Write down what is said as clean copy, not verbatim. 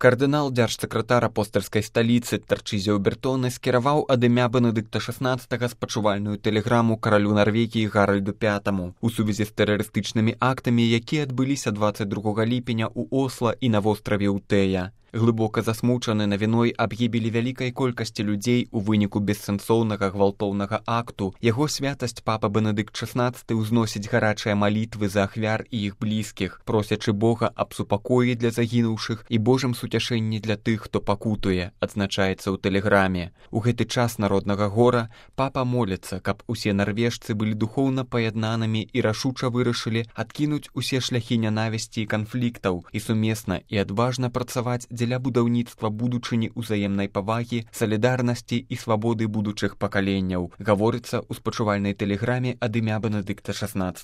Кардынал дзяржсакратар апостальскай сталіцы Тарчызіо Бертоне скіраваў ад імя Бенедыкта XVI спачувальную тэлеграму каралю Нарвегіі Гаральду V у сувязі з тэрарыстычнымі актамі, якія адбыліся 22 ліпеня ў Осла і на востраве Утэя. Глыбока засмучаны навіной аб гібелі вялікай колькасці людзей у выніку бессэнсоўнага гвалтоўнага акту, яго святасць папа Бенедыкт XVI ўзносіць гарачыя малітвы за ахвяр і іх блізкіх, просячы Бога аб супакоі для загінуўшых і Божым суцяшэнні для тых, хто пакутуе, адзначаецца ў тэлеграме. У гэты час народнага гора папа моліцца, каб усе нарвежцы былі духоўна паяднанымі і рашуча вырашылі адкінуць усе шляхі нянавісці і канфліктаў і сумесна і адважна працаваць дзеля будаўніцтва будучыні ўзаемнай павагі, салідарнасці і свабоды будучых пакаленняў, гаворыцца ў спачувальнай тэлеграме ад імя Бенедыкта XVI.